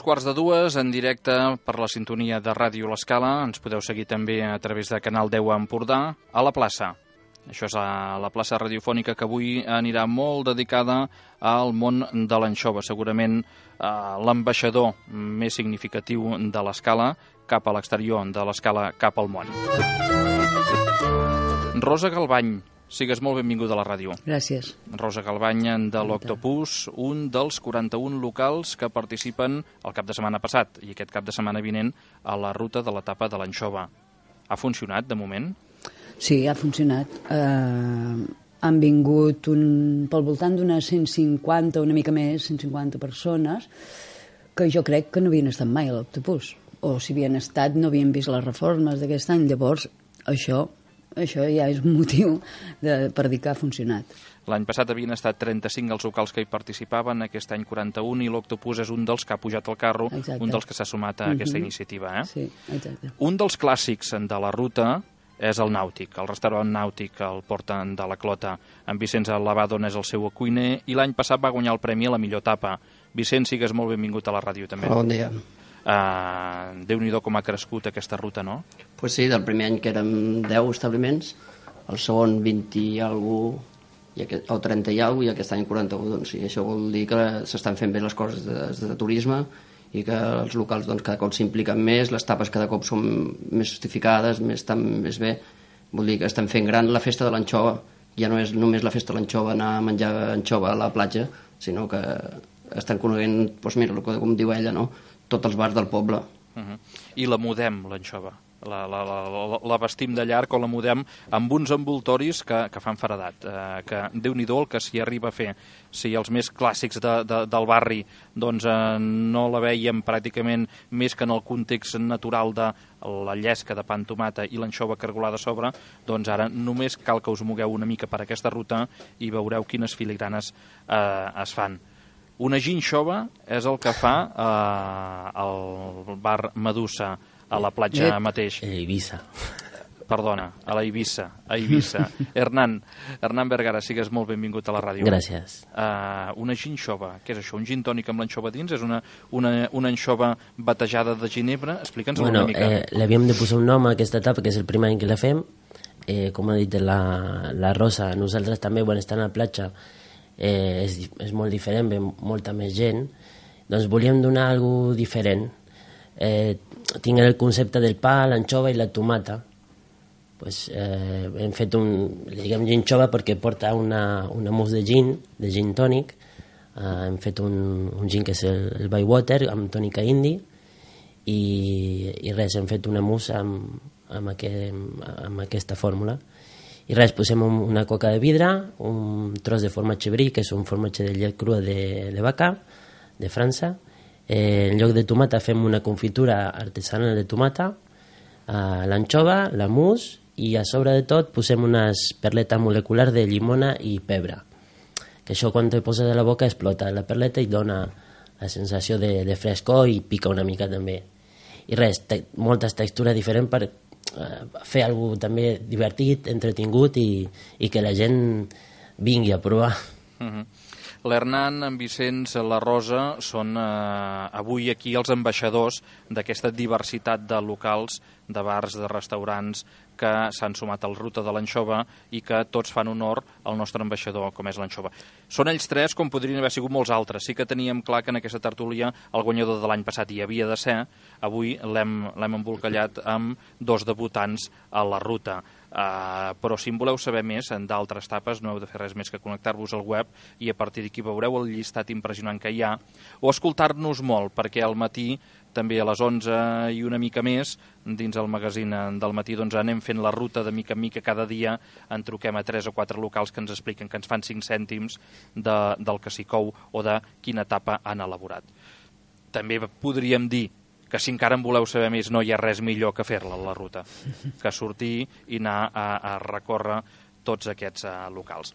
2:15, en directe per la sintonia de Ràdio L'Escala. Ens podeu seguir també a través de Canal 10 a Empordà, a la plaça. Això és a la plaça radiofònica, que avui anirà molt dedicada al món de l'anxova. Segurament l'ambaixador més significatiu de l'Escala, cap a l'exterior de l'Escala, cap al món. Rosa Galbany, sigues molt benvinguda a la ràdio. Gràcies. Rosa Galbany, de l'Octopus, un dels 41 locals que participen el cap de setmana passat i aquest cap de setmana vinent a la ruta de l'etapa de l'anxova. Ha funcionat, de moment? Sí, ha funcionat. Han vingut pel voltant d'unes 150, una mica més, 150 persones, que jo crec que no havien estat mai a l'Octopus. O si havien estat, no havien vist les reformes d'aquest any. Llavors, això ja és un motiu per dir que ha funcionat. L'any passat havien estat 35 els locals que hi participaven, aquest any 41, i l'Octopus és un dels que ha pujat al carro, exacte. Un dels que s'ha sumat a aquesta iniciativa. Sí, exacte. Un dels clàssics de la ruta és el Nàutic, el restaurant Nàutic, el porta de la Clota. En Vicenç Lavado és el seu cuiner i l'any passat va guanyar el premi a la millor tapa. Vicenç, sigues molt benvingut a la ràdio també. Bon dia. Déu-n'hi-do com ha crescut aquesta ruta, no? Pues sí, del primer any que érem 10 establiments, el segon 20 i alguna cosa, o 30 i alguna cosa, i aquest any 41. Doncs sí, això vol dir que s'estan fent bé les coses de turisme i que els locals doncs, cada cop s'impliquen més, les tapes cada cop són més justificades, estan més bé. Vol dir que estan fent gran la festa de l'anxova. Ja no és només la festa de l'anxova, anar a menjar anxova a la platja, sinó que estan coneguent, doncs mira, com diu ella, no? Tots els bars del poble. I la mudem, l'anxova. La vestim de llarg o la mudem amb uns envoltoris que fan faradat. Que Déu-n'hi-do el que s'hi arriba a fer. Si els més clàssics del barri doncs, no la veiem pràcticament més que en el context natural de la llesca de pa amb tomata i l'anxova cargolada a sobre, doncs ara només cal que us mogueu una mica per aquesta ruta i veureu quines filigranes es fan. Una ginxova és el que fa el bar Medusa a la platja mateix. A Eivissa. Perdona, a la Eivissa. Hernán Vergara, sigues molt benvingut a la ràdio. Gràcies. Una ginxova, què és això? Un gin tònic amb l'anxova dins? És una anxova batejada de ginebra? Explica'ns una mica. L'havíem de posar un nom a aquesta etapa, que és el primer any que la fem. Com ha dit la Rosa, nosaltres també, quan estem a la platja, és molt diferent, ve molta més gent, doncs volíem donar alguna cosa diferent. Tinc el concepte del pa, l'anxova i la tomata. Pues, hem fet li diguem ginxova perquè porta una mousse de gin tònic. Hem fet un gin que és el Bywater amb tònica indi i res, hem fet una mousse amb aquesta fórmula. I res, posem una coca de vidre, un tros de formatge brie, que és un formatge de llet crua de vaca, de França. En lloc de tomata fem una confitura artesanal de tomata, l'anxova, la mousse, i a sobre de tot posem unes perletes moleculars de llimona i pebre. Que això quan te poses a la boca explota la perleta i dona la sensació de frescor i pica una mica també. I res, moltes textures diferents per fer alguna cosa també divertit, entretingut i que la gent vingui a provar. L'Hernán, en Vicenç, la Rosa són avui aquí els ambaixadors d'aquesta diversitat de locals, de bars, de restaurants que s'han sumat a la ruta de l'anxova i que tots fan honor al nostre ambaixador, com és l'anxova. Són ells tres, com podrien haver sigut molts altres. Sí que teníem clar que en aquesta tertúlia el guanyador de l'any passat hi havia de ser. Avui l'hem embolcallat amb dos debutants a la ruta. Però si en voleu saber més d'altres etapes no heu de fer res més que connectar-vos al web i a partir d'aquí veureu el llistat impressionant que hi ha, o escoltar-nos molt, perquè al matí també a les 11 i una mica més dins el magazín del matí doncs anem fent la ruta de mica en mica cada dia, en truquem a 3 o 4 locals que ens expliquen, que ens fan 5 cèntims del que s'hi cou o de quina etapa han elaborat. També podríem dir que si encara en voleu saber més no hi ha res millor que fer-la, la ruta, que sortir i anar a recórrer tots aquests locals.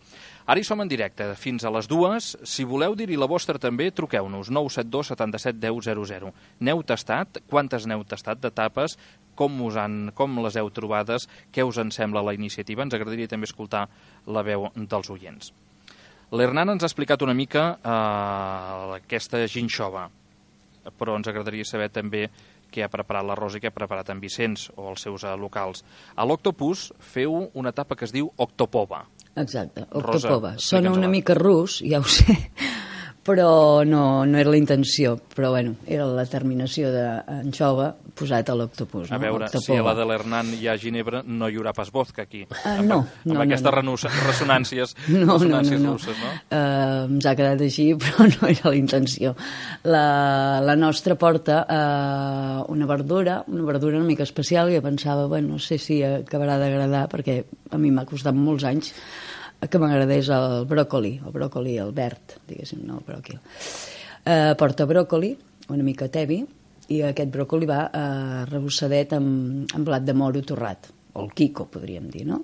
Ara hi som en directe, fins a les 2. Si voleu dir-hi la vostra també, truqueu-nos, 972 77 10 00. N'heu tastat? Quantes n'heu tastat d'etapes? Com les heu trobades? Què us en sembla la iniciativa? Ens agradaria també escoltar la veu dels oients. L'Hernán ens ha explicat una mica aquesta ginxova. però ens agradaria saber també què ha preparat la Rosa i què ha preparat en Vicenç o els seus locals. A l'Octopus feu una etapa que es diu Octopova. Exacte, Rosa, Octopova. Sona una explica'ns-la. mica rus, ja ho sé, però no era la intenció, però bueno, era la terminació d'anxova posat a l'Octopus. A veure, si a la de l'Hernán hi ha ginebra, no hi haurà pas vodka aquí. No. Amb aquestes ressonàncies russes, no? Ens ha quedat així, però no era la intenció. La nostra porta una verdura una mica especial, i jo pensava, bueno, no sé si acabarà d'agradar, perquè a mi m'ha costat molts anys que m'agradés el bròcoli el verd, diguéssim, no el bròquil. Porta bròcoli, una mica tevi, i aquest bròcoli va rebossadet amb blat de moro torrat, o el quico, podríem dir, no?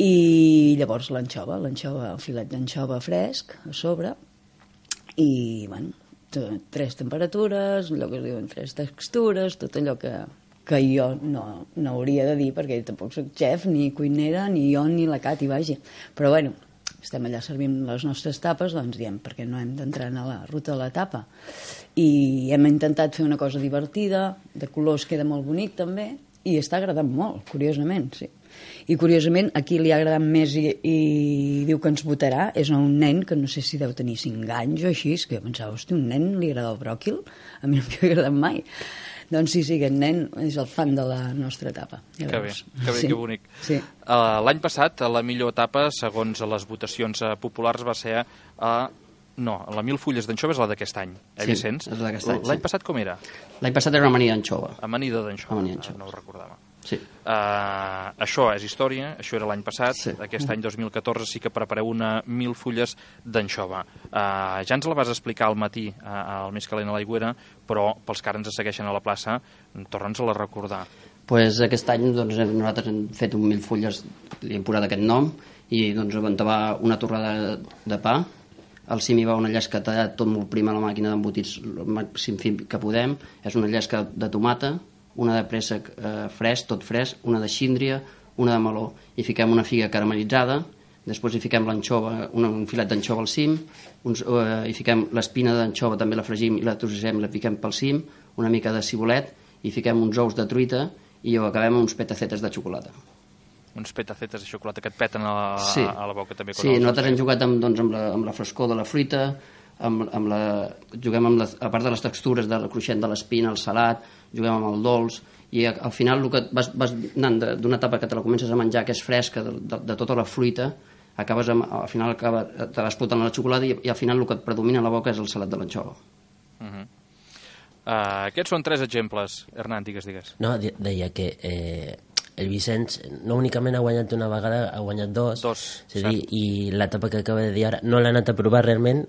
I llavors l'anxova, el filet d'anxova fresc a sobre, i, bueno, 3 temperatures, allò que es diuen 3 textures, tot allò que jo no hauria de dir, perquè tampoc soc xef, ni cuinera, ni jo, ni la Cati, vagi. Però, bueno, estem allà servint les nostres tapes, doncs diem, perquè no hem d'entrar a la ruta de la tapa. I hem intentat fer una cosa divertida, de colors queda molt bonic també, i està agradant molt, curiosament, sí. I curiosament, a qui li ha agradat més i diu que ens votarà és a un nen que no sé si deu tenir 5 anys o així, que jo pensava, hosti, un nen li agrada el bròquil? A mi no m'ha agradat mai. Doncs sí, aquest nen és el fan de la nostra etapa. Ja que bé, sí. que bonic. Sí. L'any passat, la millor etapa, segons les votacions populars, va ser la 1000 fulles d'anxova és la d'aquest any, Vicenç? Sí, és d'aquest any, L'any passat com era? L'any passat era una amanida d'anxova. Amanida d'anxova, d'anxova. no ho recordava. Sí. Això és història, això era l'any passat, Sí. Aquest any 2014 sí que prepareu una 1000 fulles d'anxova. Ja ens la vas explicar al matí, al Més calent a l'aigüera, però pels que ara ens segueixen a la plaça, torna'ns a la recordar. Pues aquest any doncs, nosaltres hem fet un 1000 fulles, li hem posat aquest nom, i doncs vam tavar una torrada de pa, al cim hi va una llesca tallat tot molt prim a la màquina d'embotits el màxim fin que podem, és una llesca de tomata, una de préssec fresc, tot fresc, una de xíndria, una de meló, i fiquem una figa caramelitzada, després hi fiquem l'anxova, un filet d'anxova al cim, hi fiquem l'espina d'anxova, també la fregim i la trossem, la fiquem pel cim, una mica de cibolet, i fiquem uns ous de truita i ho acabem amb uns petacetes de xocolata. Uns petacetes de xocolata que et peten a la boca també. Sí, nosaltres hem jugat amb la frescor de la fruita, juguem amb a part de les textures del cruixent de l'espina, el salat, juguem amb el dolç, i al final el que vas anant d'una etapa que te la comences a menjar, que és fresca de tota la fruita, al final te vas explotant la xocolata i al final el que et predomina a la boca és el salat de l'anxova. Aquests són 3 exemples. Hernán, digues. No, deia que el Vicenç no únicament ha guanyat una vegada, ha guanyat 2. És a dir, i l'etapa que acaba de dir ara no l'ha anat a provar realment,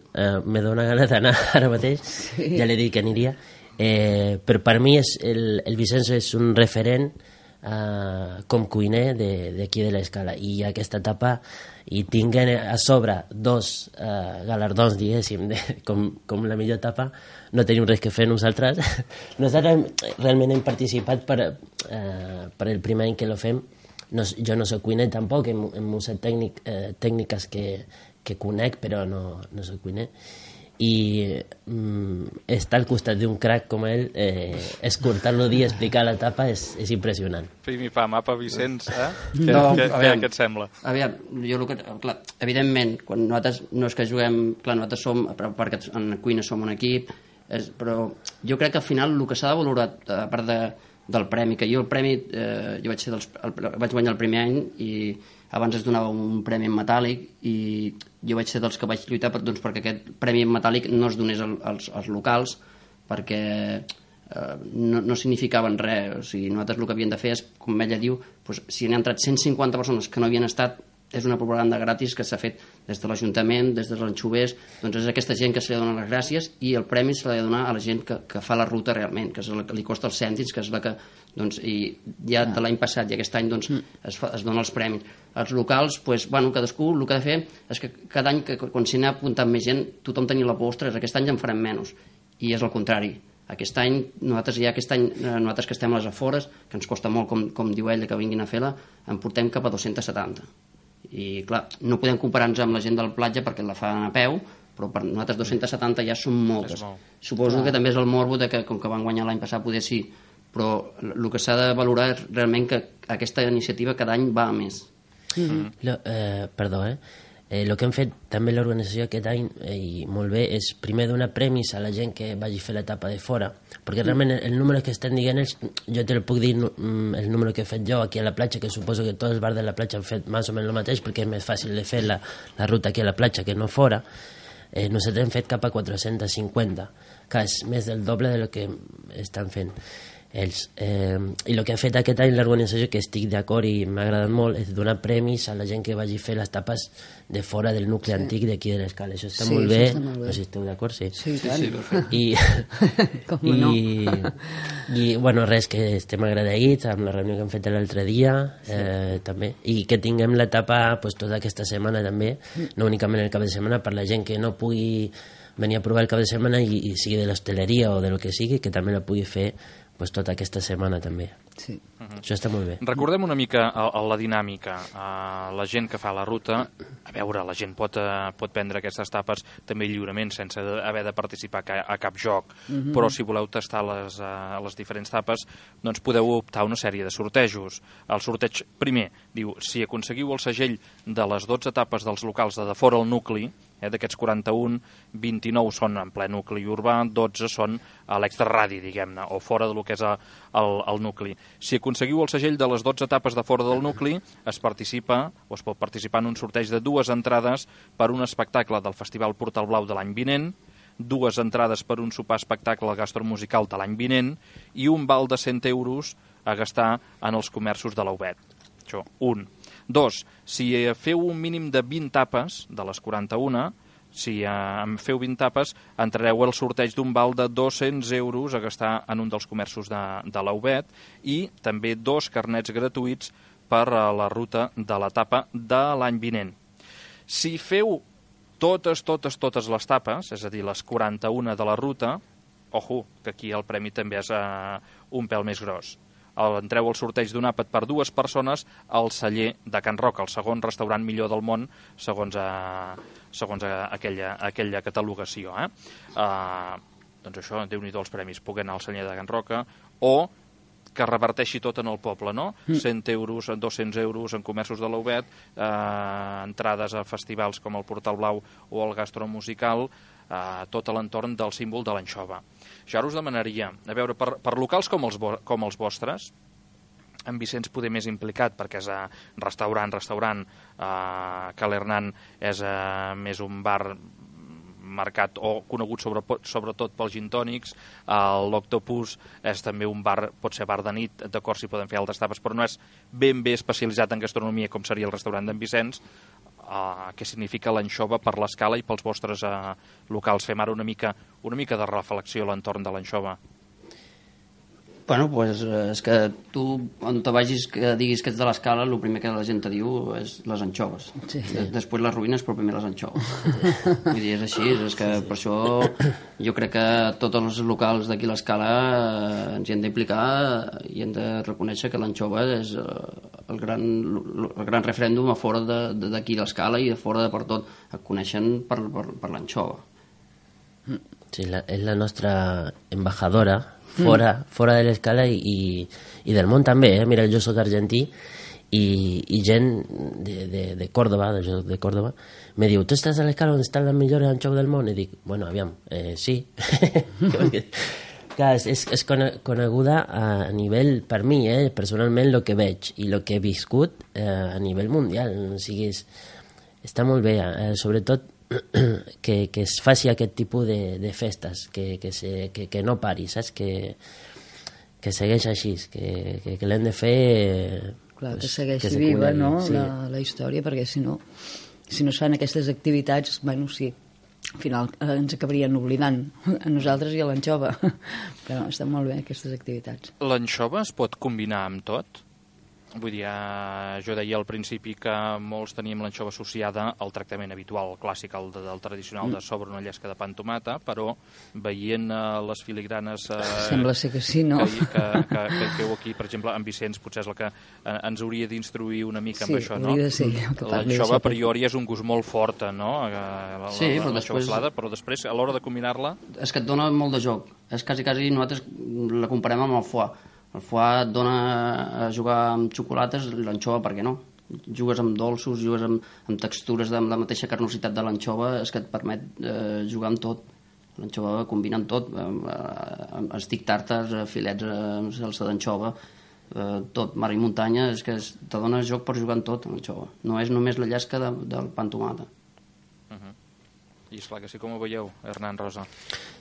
me dóna gana d'anar ara mateix, ja li he dit que aniria, però per mi el Vicenç és un referent com cuiner d'aquí de l'Escala, i aquesta etapa i tinguen a sobre 2 galardons, diguéssim, com la millor etapa, no tenim res que fer nosaltres. Nosaltres realment hem participat per el primer any que lo fem. Jo no soc cuiner tampoc, hem usat tècniques que conec, però no soc cuiner. I estar al costat d'un crac com ell, escoltar-lo dir, explicar l'etapa és impressionant. Pim i pam, apa, Vicenç, Què et sembla? Aviam, clar, evidentment, quan nosaltres no és que juguem, clar, nosaltres som, perquè en cuina som un equip, però jo crec que al final el que s'ha de valorar, a part del premi, que jo el premi, jo vaig guanyar el primer any i abans es donava un premi en metàl·lic i jo vaig ser dels que vaig lluitar perquè aquest premi en metàl·lic no es donés als locals, perquè no significaven res. O sigui, nosaltres el que havíem de fer és, com ella diu, si n'hi ha entrat 150 persones que no havien estat, és una propaganda gratis que s'ha fet des de l'Ajuntament, des dels anxovers, doncs és aquesta gent que se li ha de donar les gràcies, i el premi se l'ha de donar a la gent que fa la ruta realment, que és la que li costa els cèntims, que és la que, doncs, i ja de l'any passat i aquest any, doncs, es donen els premis. Els locals, doncs, bueno, cadascú el que ha de fer és que cada any, quan s'hi n'ha apuntat més gent, tothom tenia la por, ostres, aquest any ja en farem menys, i és el contrari. Aquest any, nosaltres que estem a les afores, que ens costa molt, com diu ella, que vinguin a fer-la, en portem cap a 270. I clar, no podem comparar-nos amb la gent del platja perquè la fan a peu, però per nosaltres 270 ja són moltes. Suposo que també és el morbo de que, com que van guanyar l'any passat, poder sí, però el que s'ha de valorar és realment que aquesta iniciativa cada any va a més. Perdó, el que hem fet també l'organització aquest any, i molt bé, és primer donar premis a la gent que vagi a fer l'etapa de fora, perquè realment el número que estan dient ells, jo te el puc dir el número que he fet jo aquí a la platja, que suposo que tots els bars de la platja han fet més o menys el mateix, perquè és més fàcil de fer la ruta aquí a la platja que no fora. Nosaltres hem fet cap a 450, que és més del doble de lo que estan fent ells. I el que ha fet aquest any l'organització, que estic d'acord i m'ha agradat molt, és donar premis a la gent que vagi a fer les tapes de fora del nucli antic d'aquí de l'Escala. Això està molt bé. No sé si esteu d'acord, sí. Sí, tant. I bueno, res, que estem agraïts amb la reunió que hem fet l'altre dia, també, i que tinguem l'etapa tota aquesta setmana també, no únicament el cap de setmana, per la gent que no pugui venir a provar el cap de setmana i sigui de l'hostaleria o de lo que sigui, que també la pugui fer tota aquesta setmana també. Sí. Això està molt bé. Recordem una mica la dinàmica. La gent que fa la ruta, a veure, la gent pot prendre aquestes tapes també lliurement, sense haver de participar a cap joc, però si voleu tastar les diferents tapes, doncs podeu optar a una sèrie de sortejos. El sorteig primer diu, si aconseguiu el segell de les 12 tapes dels locals de fora el nucli, d'aquests 41, 29 són en ple nucli urbà, 12 són a l'extraradi, diguem-ne, o fora del que és el nucli. Si aconseguiu el segell de les 12 etapes de fora del nucli, es pot participar en un sorteig de 2 entrades per un espectacle del Festival Portal Blau de l'any vinent, 2 entrades per un sopar espectacle gastromusical de l'any vinent i un val de 100 euros a gastar en els comerços de l'Aubet. Això, 1. 2. Si feu un mínim de 20 tapes, de les 41, si en feu 20 tapes, entrareu al sorteig d'un val de 200 euros a gastar en un dels comerços de l'Aubet i també 2 carnets gratuïts per a la ruta de l'etapa de l'any vinent. Si feu totes les tapes, és a dir, les 41 de la ruta, ojo, que aquí el premi també és un pèl més gros. Entreu al sorteig d'un àpat per 2 persones al celler de Can Roca, el segon restaurant millor del món, segons aquella catalogació. Doncs això, Déu-n'hi-do els premis, poder anar al celler de Can Roca, o que reverteixi tot en el poble, no? 100 euros, 200 euros en comerços de l'Aubet, entrades a festivals com el Portal Blau o el Gastromusical, tot a l'entorn del símbol de l'anxova. Jo ara us demanaria, a veure, per locals com els vostres, en Vicenç poder més implicat, perquè és restaurant, que l'Hernán és més un bar marcat o conegut sobretot pels gintònics, l'Octopus és també un bar, pot ser bar de nit, d'acord, si poden fer altres tapes, però no és ben bé especialitzat en gastronomia com seria el restaurant d'en Vicenç. Què significa l'anxova per l'Escala i pels vostres locals? Fem ara una mica de reflexió a l'entorn de l'anxova. Bueno, pues és que tu, on te vagis que diguis que ets de l'Escala, el primer que la gent te diu és les anxoves. Sí. Després les ruïnes, però primer les anxoves. Vull dir, és així, és que per això jo crec que tots els locals d'aquí a l'Escala ens hi hem d'implicar i hem de reconèixer que l'anxova és el gran referèndum a fora d'aquí a l'Escala i de fora de per tot. Et coneixen per l'anxova. Sí, és la nostra embajadora fora de l'Escala i del món també, Mira, jo soc argentí i gent de Córdoba, de Córdoba, me diu, tu estàs a l'Escala on estan les millors anxoves del món? I dic, bueno, aviam, sí. Clar, és coneguda a nivell, per mi, personalment, el que veig i el que he viscut a nivell mundial. O sigui, està molt bé, sobretot que es faci aquest tipus de festes, que no pari, saps? Que segueix així, que l'hem de fer... Clar, que segueixi viva, no?, sí. La història, perquè si no es fan aquestes activitats, bueno, sí, al final ens acabarien oblidant a nosaltres i a l'anxova, però estan molt bé aquestes activitats. L'anxova es pot combinar amb tot? Vull dir, jo deia al principi que molts teníem l'anxova associada al tractament habitual, el clàssic, el del tradicional de sobre una llesca de pa amb tomata, però veient les filigranes... Sembla ser que sí, no? Que feu aquí, per exemple, en Vicenç potser és el que ens hauria d'instruir una mica amb això, no? Sí, hauria de ser. L'anxova a priori és un gust molt fort, no? Sí, però després... Salada, però després, a l'hora de combinar-la... És que et dona molt de joc. És quasi nosaltres la comparem amb el foie. El foie et dona a jugar amb xocolates, l'anxova, per què no? Jugues amb dolços, jugues amb textures de la mateixa carnositat de l'anxova, és que et permet jugar amb tot. L'anxova combina amb tot, amb estic tàrtars, filets amb salsa d'anxova, tot, mar i muntanya, és que te dona joc per jugar amb tot, l'anxova. No és només la llesca del pa amb tomata. I esclar que sí, com ho veieu, Hernán, Rosa?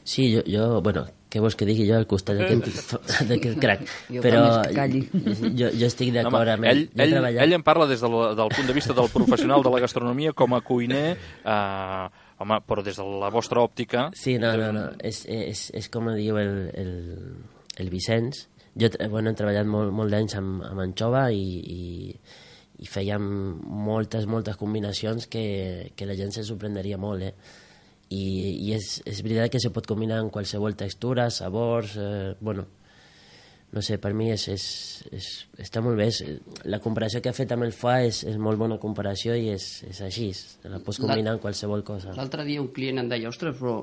Sí, jo bueno, què vols que digui jo al costat d'aquest crac? Però jo estic d'acord amb ell. Ell em parla des del punt de vista del professional de la gastronomia com a cuiner, home, però des de la vostra òptica... Sí, no, és com diu el Vicenç. Jo hem treballat molt d'anys amb anxova i fèiem moltes combinacions que la gent se sorprendria molt, i és veritat que se pot combinar amb qualsevol textura, sabors, bueno, no sé, per mi està molt bé. La comparació que ha fet amb el foie és molt bona comparació i és així, la pots combinar amb qualsevol cosa. L'altre dia un client em deia, ostres, però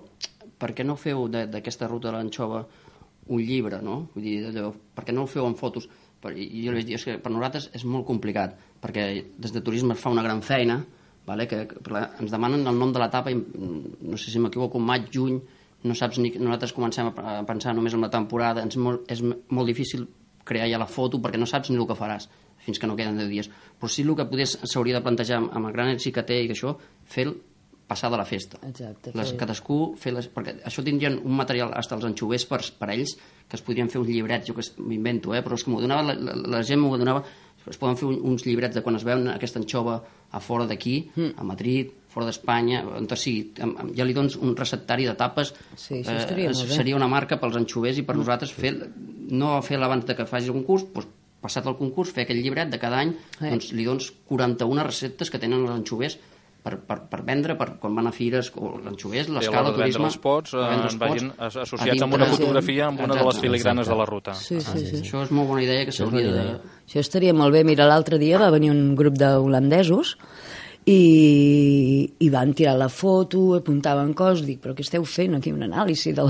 per què no feu d'aquesta ruta de l'anxova un llibre, no? Vull dir, per què no ho feu en fotos? I jo li vaig dir, és que per nosaltres és molt complicat, perquè des de turisme es fa una gran feina, vale? Que ens demanen el nom de l'etapa, no sé si m'equivoco, maig, juny, no saps ni... Nosaltres comencem a pensar només en la temporada, és molt difícil crear ja la foto perquè no saps ni el que faràs fins que no queden 10 dies. Però sí el que s'hauria de plantejar amb el gran èxit que té i que això, fer passar de la festa. Exacte. Cadascú perquè això tindrien un material, fins els anxovers per ells, que es podrien fer uns llibrets, jo que m'invento, però és que m'ho donava, la gent m'ho donava, es poden fer uns llibrets de quan es veuen aquesta anxova a fora d'aquí, a Madrid, fora d'Espanya, on sigui, ja li dones un receptari de tapes, seria una marca pels anxovers i per nosaltres no fer-la abans que facis el concurs, doncs, passat el concurs, fer aquell llibret de cada any, doncs li dones 41 receptes que tenen els anxovers per vendre, per quan van a fires, l'anxovers, l'escala, el turisme... Els pots vagin associats amb una fotografia amb una de les filigranes de la ruta. Sí. Això és molt bona idea que s'hauria de... Això estaria molt bé. Mira, l'altre dia va venir un grup d'holandesos i van tirar la foto, apuntaven coses, dic, però què esteu fent aquí? Un anàlisi de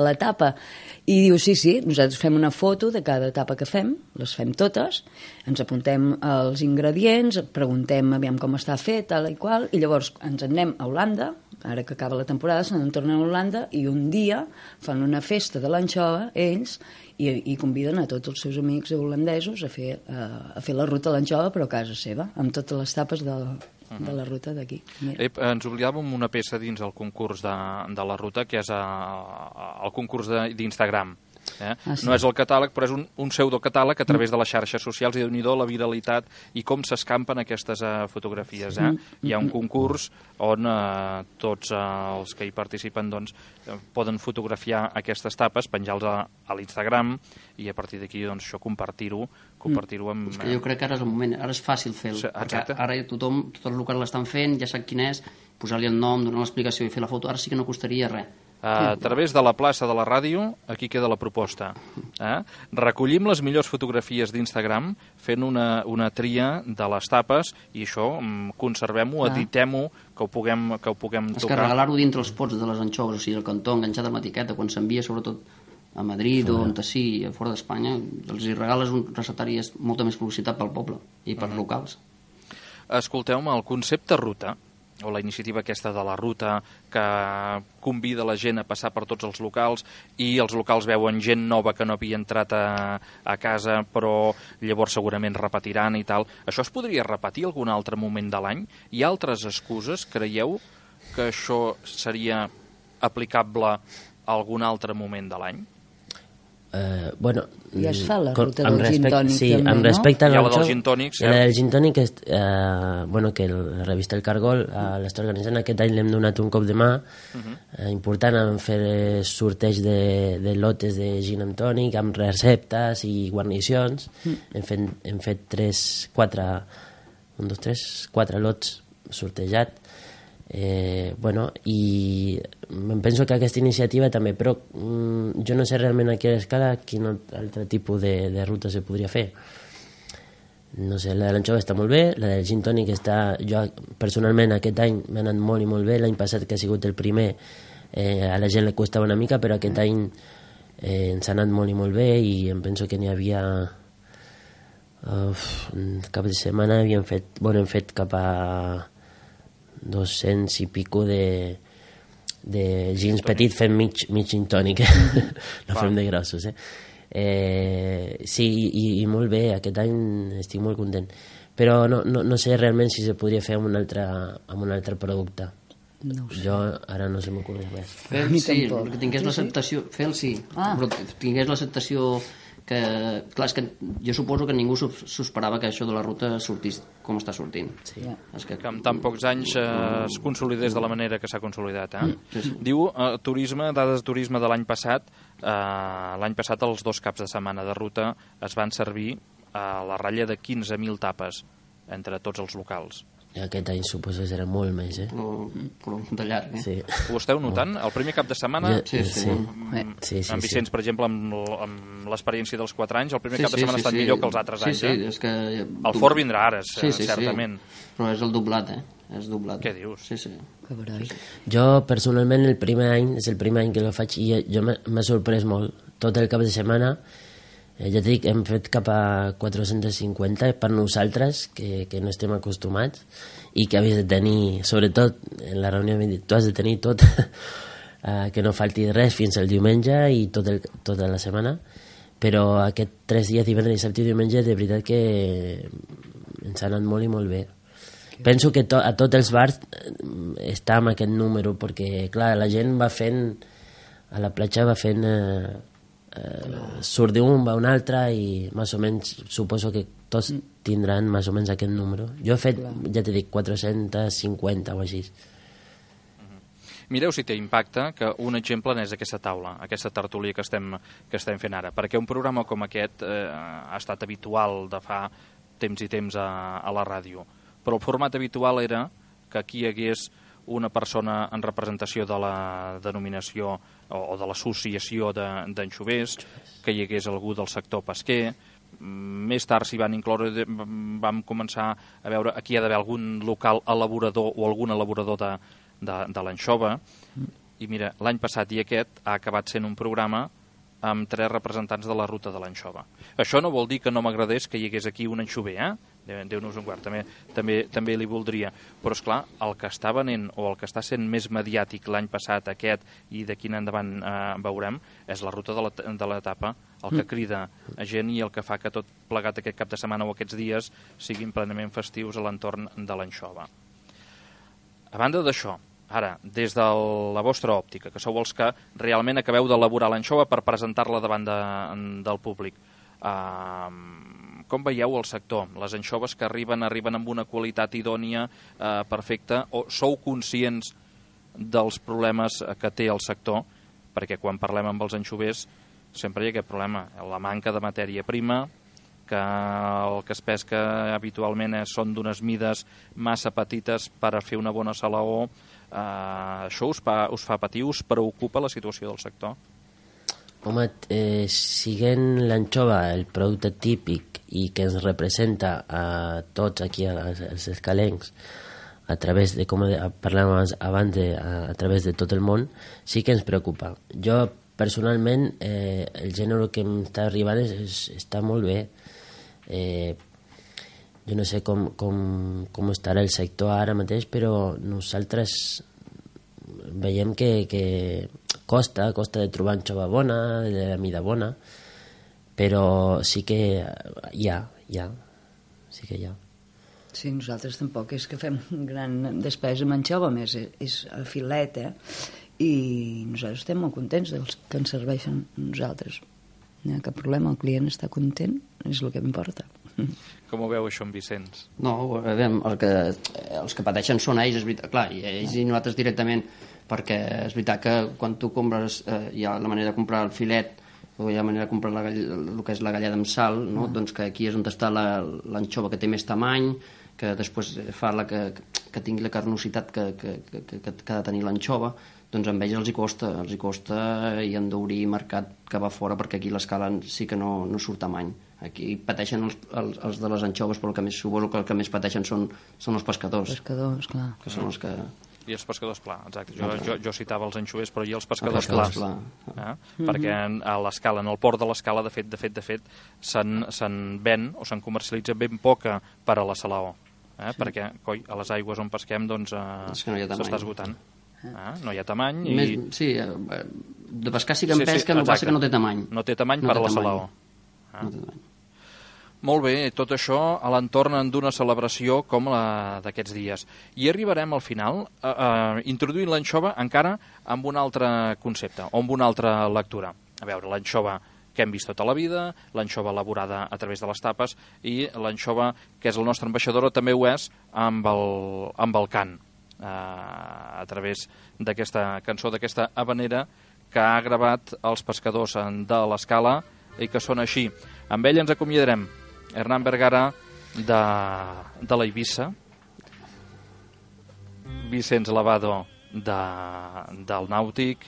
l'etapa. I diu, sí, nosaltres fem una foto de cada etapa que fem, les fem totes, ens apuntem els ingredients, preguntem aviam com està fet, tal i qual, i llavors ens en anem a Holanda, ara que acaba la temporada, se'n tornen a Holanda, i un dia fan una festa de l'anxova, ells, i conviden a tots els seus amics holandesos a fer la ruta de l'anxova, però a casa seva, amb totes les tapes de la ruta d'aquí. Ens oblidàvem una peça dins el concurs de la ruta, que és el concurs d'Instagram. No és el catàleg, però és un pseudocatàleg a través de les xarxes socials, i Déu-n'hi-do la viralitat i com s'escampen aquestes fotografies. Hi ha un concurs on tots els que hi participen poden fotografiar aquestes tapes, penjar-los a l'Instagram, i a partir d'aquí això compartir-ho amb... És que jo crec que ara és el moment, ara és fàcil fer-ho, perquè ara tothom, tots els locals l'estan fent, ja sap quin és, posar-li el nom, donar l'explicació i fer la foto, ara sí que no costaria res. A través de la plaça de la ràdio, aquí queda la proposta. Recollim les millors fotografies d'Instagram fent una tria de les tapes, i això conservem-ho, editem-ho, que ho puguem tocar. És que regalar-ho dintre els pots de les anxoves, o sigui, el cantó enganxat amb l'etiqueta, quan s'envia sobretot a Madrid o on sigui, fora d'Espanya, els hi regales un receptari, és molta més publicitat pel poble i per locals. Escolteu-me, el concepte ruta, o la iniciativa aquesta de la ruta que convida la gent a passar per tots els locals, i els locals veuen gent nova que no havia entrat a casa, però llavors segurament repetiran i tal. Això es podria repetir algun altre moment de l'any? Hi ha altres excuses? Creieu que això seria aplicable a algun altre moment de l'any? Bueno, ja es fa la ruta amb del gin tònic sí, també, amb respecte no? Hi ha a la del gin tònic, cert? la del gin tònic bueno, que la revista El Cargol l'està organitzant aquest any, l'hem donat un cop de mà important, en fer sorteig de lotes de gin amb tònic, amb receptes i guarnicions. Hem fet 4 lots sortejat. Bueno, i em penso que aquesta iniciativa també, però jo no sé realment a quina escala quin altre tipus de ruta se podria fer. No sé, la de l'anxova està molt bé, la del gin tònic està, jo personalment aquest any m'ha anat molt i molt bé, l'any passat que ha sigut el primer a la gent li costava una mica, però aquest any ens ha anat molt i molt bé, i em penso que n'hi havia cap de setmana hem fet cap a 200 i pico de gins petits fent mig gin tònic. No fem de grossos, sí, i molt bé, aquest any estic molt content, però no sé realment si se podria fer amb un altre producte. No ho sé. Jo ara no se m'ocorre res. Fer sí, que tingués l'acceptació, fer el sí, però tingués l'acceptació que, clar, és que jo suposo que ningú s'ho esperava que això de la ruta sortís com està sortint. Sí. És que en tan pocs anys es consolidés de la manera que s'ha consolidat. Sí. Diu, turisme, dades de turisme de l'any passat, els 2 caps de setmana de ruta es van servir a la ratlla de 15.000 tapes entre tots els locals. I aquest any suposo que serà molt més, però de llarg, Sí. Ho esteu notant? El primer cap de setmana, Sí. en Vicenç, per exemple, amb l'experiència dels 4 anys, el primer cap de setmana ha estat millor que els altres anys. Sí, és que... El Fort vindrà ara, certament. Però és el doblat, És doblat. Què dius? Sí. Que barall. Jo, personalment, és el primer any que lo faig, i jo m'ha sorprès molt. Tot el cap de setmana, ja t'he dit, hem fet cap a 450 per nosaltres, que no estem acostumats, i que havies de tenir, sobretot en la reunió, tu has de tenir tot, que no falti res fins al diumenge i tota la setmana, però aquests 3 dies, divendres, dissabte i diumenge, de veritat que ens ha anat molt i molt bé. Penso que a tots els bars està amb aquest número, perquè clar, la gent va fent, a la platja va fent, surt d'un, va un altre, i més o menys suposo que tots tindran més o menys aquest número. Jo he fet, ja t'he dit, 450 o així. Mireu si té impacte que un exemple n'és aquesta taula, aquesta tertúlia que estem fent ara, perquè un programa com aquest ha estat habitual de fa temps i temps a la ràdio, però el format habitual era que aquí hi hagués una persona en representació de la denominació o de l'associació d'anxovers, que hi hagués algú del sector pesquer. Més tard s'hi van incloure, vam començar a veure aquí hi ha d'haver algun local elaborador o algun elaborador de l'anxova, i mira, l'any passat i aquest ha acabat sent un programa amb 3 representants de la ruta de l'anxova. Això no vol dir que no m'agradés que hi hagués aquí un anxover, Déu-nos en guard, també li voldria, però esclar, el que està venent o el que està sent més mediàtic l'any passat, aquest, i d'aquí en endavant veurem, és la ruta de l'etapa, el que crida a gent i el que fa que tot plegat aquest cap de setmana o aquests dies siguin plenament festius a l'entorn de l'anxova. A banda d'això, ara, des de la vostra òptica, que sou els que realment acabeu d'elaborar l'anxova per presentar-la davant del públic, com veieu el sector? Les anxoves que arriben amb una qualitat idònia, perfecta, o sou conscients dels problemes que té el sector? Perquè quan parlem amb els anxovers sempre hi ha aquest problema, la manca de matèria prima, que el que es pesca habitualment són d'unes mides massa petites per a fer una bona salaó. Això us fa patir, us preocupa la situació del sector? Home, siguent l'anxova el producte típic i que ens representa a tots aquí als escalencs a través de, com parlàvem abans, a través de tot el món, sí que ens preocupa. Jo, personalment, el gènere que em està arribant està molt bé. Jo no sé com estarà el sector ara mateix, però nosaltres veiem que costa de trobar anxova bona, de la mida bona, però sí que hi ha. Sí que hi ha. Sí, nosaltres tampoc és que fem gran despesa amb anxova, més és el filet, i nosaltres estem molt contents dels que ens serveixen nosaltres. No hi ha cap problema, el client està content, és el que m'importa. Com ho veu això en Vicenç? No, els que pateixen són ells, és veritat, clar, i ells i nosaltres directament, perquè és veritat que quan tu compres, hi ha la manera de comprar el filet, o hi ha la manera de comprar el que és la galleda amb sal, no? Doncs que aquí és on està l'anxova que té més tamany, que després fa que tingui la carnositat que ha de tenir l'anxova, doncs amb ells els hi costa i han d'obrir mercat que va fora, perquè aquí l'escala sí que no surt tamany. Aquí pateixen els de les anxoves, però suposo que el que més pateixen són els pescadors. Pescadors, clar. Que són els que... I els pescadors, clar, exacte. Jo citava els anxovers, però i els pescadors clars. Perquè a l'Escala, en el port de l'Escala, de fet, se'n ven o se'n comercialitza ben poca per a la Salaó. Perquè, coi, a les aigües on pesquem, doncs, s'està esgotant. No hi ha tamany. Sí, de pescar sí que en pesca, no passa que no té tamany. No té tamany per a la Salaó. No té tamany. Molt bé, tot això a l'entorn d'una celebració com la d'aquests dies. I arribarem al final introduint l'anxova encara amb un altre concepte, o amb una altra lectura. A veure, l'anxova que hem vist tota la vida, l'anxova elaborada a través de les tapes, i l'anxova que és la nostra ambaixadora també ho és amb el cant, a través d'aquesta cançó, d'aquesta habanera que ha gravat els pescadors de l'Escala i que sona així. Amb ell ens acomiadarem. Hernán Vergara de la Eivissa, Vicenç Lavado del Nàutic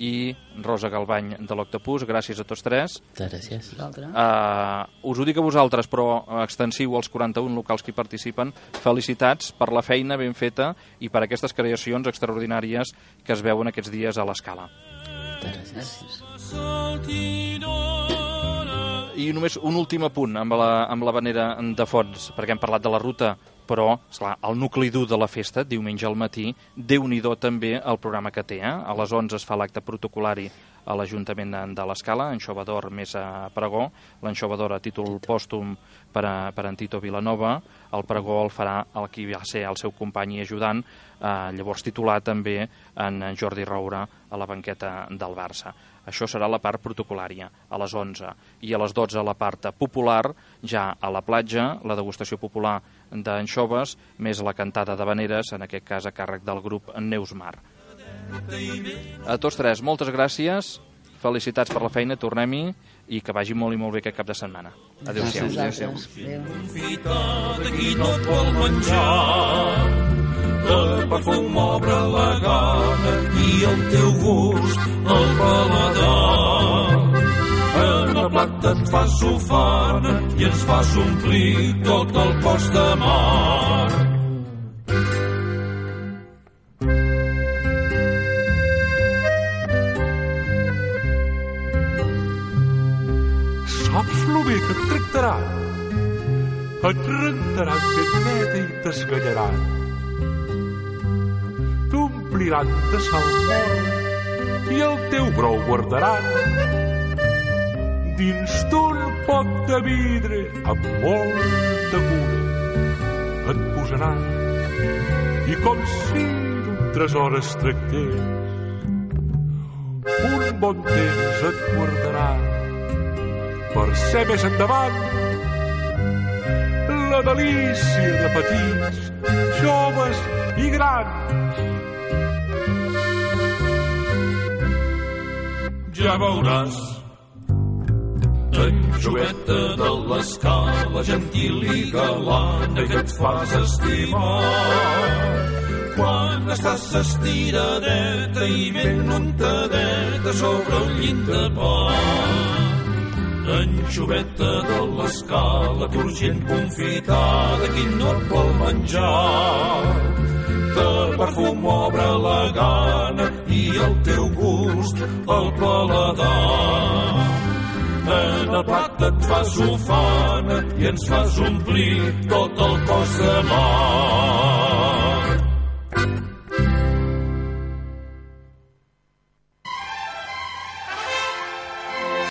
i Rosa Galbany de l'Octopus. Gràcies a tots tres. Gràcies. Us ho dic a vosaltres, però extensiu als 41 locals que hi participen. Felicitats per la feina ben feta i per aquestes creacions extraordinàries que es veuen aquests dies a l'Escala. Gràcies. I només un últim apunt amb l'habanera de fons, perquè hem parlat de la ruta, però, esclar, el nucli dur de la festa, diumenge al matí, Déu-n'hi-do també el programa que té. A les 11 es fa l'acte protocolari a l'Ajuntament de l'Escala, anxova d'or més a pregó, l'anxova d'or a títol pòstum per en Tito Vilanova, el pregó el farà el qui va ser el seu company i ajudant, llavors titular també en Jordi Roura a la banqueta del Barça. Això serà la part protocolària, a les 11. I a les 12 la part popular, ja a la platja, la degustació popular d'anxoves, més la cantada d'habaneres, en aquest cas a càrrec del grup Neus Mar. A tots tres, moltes gràcies, felicitats per la feina, tornem-hi, i que vagi molt i molt bé aquest cap de setmana. Adéu-siau. De perfum obre la gana i el teu gust el paladar. En el plat et fas sofana i ens fas omplir tot el cos de mar. Saps lo bé que et tractarà? Et rentaran ben neta i t'esgallaran. T'ompliran de salmó i el teu brou guardaran dins d'un pot de vidre amb molta cura. Et posaran i com si d'un tresor es tractés un bon temps et guardaran per ser més endavant la delícia de petits, joves i grans. Ja veuràs, anxoveta de l'Escala, gentil i galana, que et fas estimar. Quan estàs estiradeta i ben untadeta sobre el llind de pa. Anxoveta de l'Escala, turgent confitada, qui no et vol menjar. De perfum obre la gana i el teu gust el paladar. En el plat et fas ufana i ens fas omplir tot el cos de mar.